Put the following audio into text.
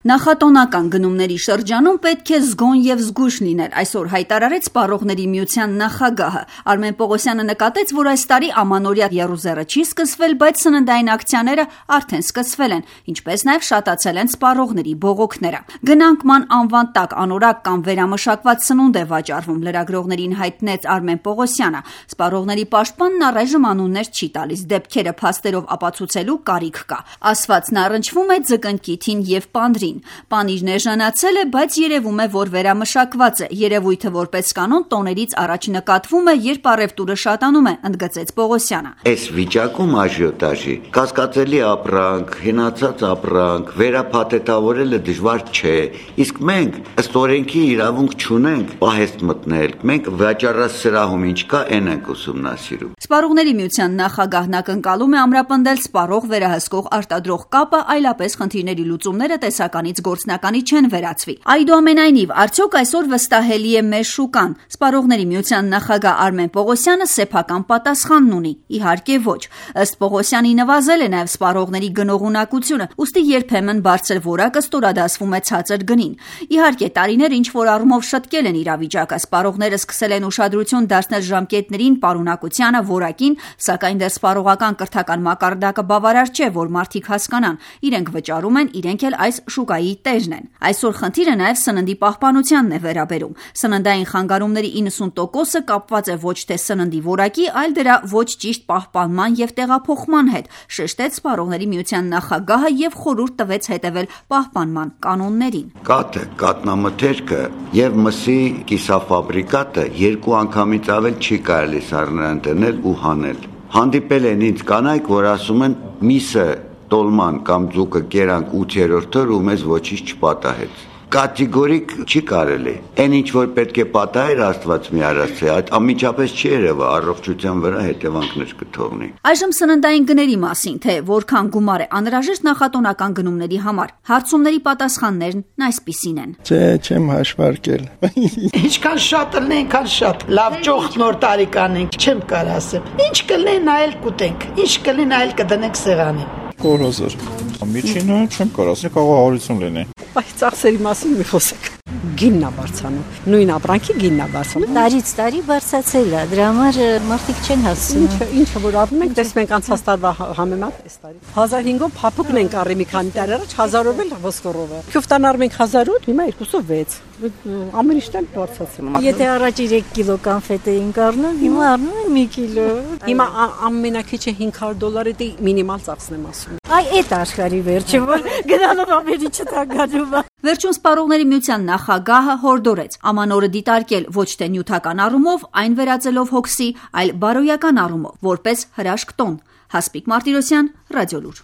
Նախատոնական գնումների շրջանում պետք է զգոն եւ զգույշ լինել, այսօր հայտարարեց Սպառողների միության նախագահը։ Արմեն Պողոսյանը նկատեց, որ այս տարի ամանորյա եռուզեռը չի սկսվել, բայց սննդային ակցիաները արդեն սկսվել են, ինչպես նաեւ շատացել են սպառողների բողոքները։ Գնանկման անվան տակ անորակ կամ վերամշակված սնունդ է վաճառվում, լրագրողներին հայտնեց Արմեն Պողոսյանը։ Սպառողների պաշտպանն առայժմ անուններ չի տալիս, դեպքերը փաստերով ապացուցելու կարիք կա։ Ասվածն առնչվում է ձկնկիթին եւ պանրին։ Պանիրն էժանացել է, բայց երևում է, որ վերամշակված է։ Երևույթը որպես կանոն տոներից առաջ նկատվում է, երբ առևտուրը շատանում է, ընդգծեց Պողոսյանը։ Այս վիճակում աժիոտաժի կասկածելի ապրանք, հենացած ապրանք, վերափաթեթավորելը դժվար չէ։ Իսկ մենք ըստ օրենքի իրավունք չունենք պահեստ մտնել։ Մենք վաճառասրահում ինչ կա, այն ենք ուսումնասիրում։ Սպառողների միության նախագահն ակնկալում է ամրապնդել սպառող վերահսկող արտադրող կապը, այլապես խնդիրների լուծումները տեսականից գործնականի չեն վերածվի։ Այդուամենայնիվ, արդյոք այսօր վստահելի է մեր շուկան։ Սպառողների միության նախագահ Արմեն Պողոսյանը սեփական պատասխանն ունի։ Իհարկե ոչ։ Ըստ Պողոսյանի նվազել է նաև սպառողների գնողունակությունը, ուստի երբեմն բարձր որակը ստորադասվում է ցածր գնին։ Իհարկե, տարիներ ինչ որ առումով շտկել են իրավիճակը, սպառողները սկսել են ուշադրություն դարձնել ժամկետներին, պարունակությանը, որակին, սակայն դեռ սպառողական կրթական մակարդակը բավարար չէ, որ մարդիկ հասկանան, իրենք վճարում են, իրենք էլ այս շուկայի տերն են։ Այսօր խնդիրը նաև սննդի պահպանությանն է վերաբերում։ Սննդային խանգարումների 90%-ը կապված է ոչ թե սննդի որակի, այլ դրա ոչ ճիշտ պահպանման եւ տեղափոխման հետ, շեշտեց Սպառողների միության նախագահը եւ խորհուրդ տվեց հետևել պահպանման կանոններին։ Կաթը, կատնամթերքը եւ մսի կիսաֆաբրիկատը երկու անգամից ավել չի կարելի սառնաընտնել ու հանել։ Հանդիպել են ինձ կանայք, որ ասում են միսը տոլման կամ ձուկը կերանք 8-րդ օր ու մեզ ոչինչ չպատահեց։ Կատեգորիկ չի կարելի։ Այն ինչ որ պետք է պատահեր, Աստված մի արած է, այդ անմիջապես չի երևա, առողջության վրա հետևանքներ կթողնի։ Այժմ սննդային գների մասին, թե որքան գումար է անհրաժեշտ նախատոնական գնումների համար։ Հարցումների պատասխաններն այսպիսին են։ Չէ, չեմ հաշվարկել։ Ինչքան շատ լինեն, այնքան շատ։ Լավ ճոխ նոր տարի կանենք, չեմ կարող ասեմ։ Ինչ կլինի նայել կուտենք, ինչ կլինի նայել կդնենք սեղանին։ 4,000։ Միջինը չեմ կարող ասել, կարող 100 լինի։ Այս ծախսերի մասին մի խոսեք։ Գինն է բարձրանում։ Նույն ապրանքի գինն է բարձրանում։ Տարից տարի բարձրացել է, դրա համար մարդիկ չեն հասցնում։ Ինչը որ առնում ենք, դες մենք անցած տարվա համեմատ այս տարի 1500-ով փափուկն ենք առի մի քանի տարի առաջ, 1000-ով էլ ոսկորով է։ Քյուֆտան առնում ենք 1008, հիմա 206։ Ամեն ինչն էլ բարձրացնում։ Եթե առաջ 3 կիլո կանֆետ էինք առնում, հիմա առնում ենք 1 կիլո։ Հիմա ամենակիչը $500 է մինիմալ ծախսն եմ ասում։ Այ այդ աշխարհի վերջը, որ գնալով ամենի չտագանում է։ Վերջում Սպառողների միության նախագահը հորդորեց ամանորը դիտարկել ոչ թե նյութական առումով, այն վերածելով հոգսի, այլ բարոյական առումով, որպես հրաշք տոն։ Հասպիկ Մարտիրոսյան, Ռադիոլուր։